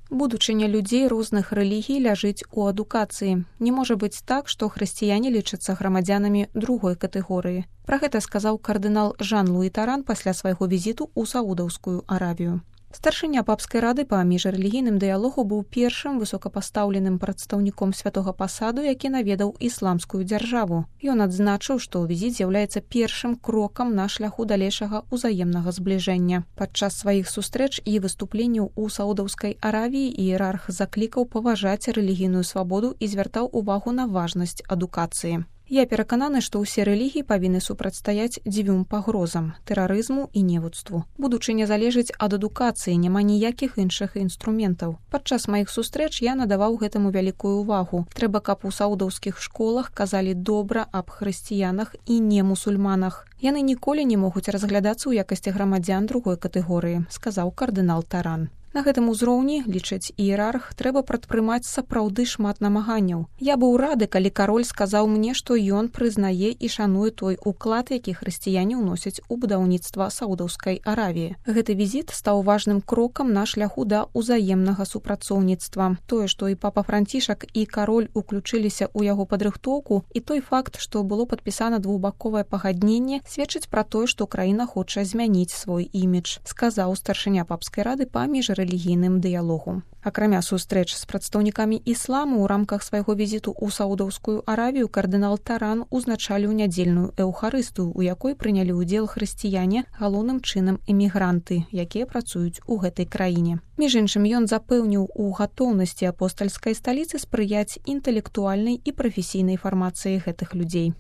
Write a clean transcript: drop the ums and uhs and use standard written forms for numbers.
Будучыня людзей розных рэлігій ляжыць у адукацыі. Не можа быць так, што хрысціяне лічацца грамадзянамі другой катэгорыі. Пра гэта сказаў кардынал Жан-Луі Таран пасля свайго візіту ў Саудаўскую Аравію. Старшыня папскай рады па міжрэлігійным дыялогу быў першым высокапастаўленым прадстаўніком святога пасаду, які наведаў ісламскую дзяржаву. Ён адзначыў, што візіт з'яўляецца першым крокам на шляху далейшага ўзаемнага збліжэння. Падчас сваіх сустрэч і выступленняў у Саудаўскай Аравіі іерарх заклікаў паважаць рэлігійную свабоду і звяртаў увагу на важнасць адукацыі. Я перакананы, што ўсе рэлігіі павінны супрацьстаяць дзвюм пагрозам – тэрарызму і невуцтву. Будучыня залежыць ад адукацыі, няма ніякіх іншых інструментаў. Падчас маіх сустрэч я надаваў гэтаму вялікую ўвагу. Трэба, каб у саудаўскіх школах казалі добра аб хрысціянах і немусульманах. Яны ніколі не могуць разглядацца ў якасці грамадзян другой катэгорыі, сказаў кардынал Таран. На гэтым узроўні, лічыць іерарх, трэба прадпрымаць сапраўды шмат намаганняў. Я быў рады, калі кароль сказаў мне, што ён прызнае і шануе той уклад, які хрысціяне ўносяць у будаўніцтва Саудаўскай Аравіі. Гэты візіт стаў важным крокам на шляху да ўзаемнага супрацоўніцтва. Тое, што і папа Францішак, і кароль уключыліся ў яго падрыхтоўку, і той факт, што было падпісана двухбаковае пагадненне, сведчыць пра тое, што краіна хоча змяніць свой імідж, сказаў старшыня папскай рады па міжрэлігійным дыялогу. Акрамя сустрэч з прадстаўнікамі ісламу ў рамках свайго візіту ў Саудаўскую Аравію кардынал Таран узначаліў нядзельную эўхарыстыю, у якой прынялі ўдзел хрысціяне, галоўным чынам эмігранты, якія працуюць у гэтай краіне. Між іншым, ён запэўніў у гатоўнасці апостальскай сталіцы спрыяць інтэлектуальнай і прафесійнай фармацыі гэтых людзей.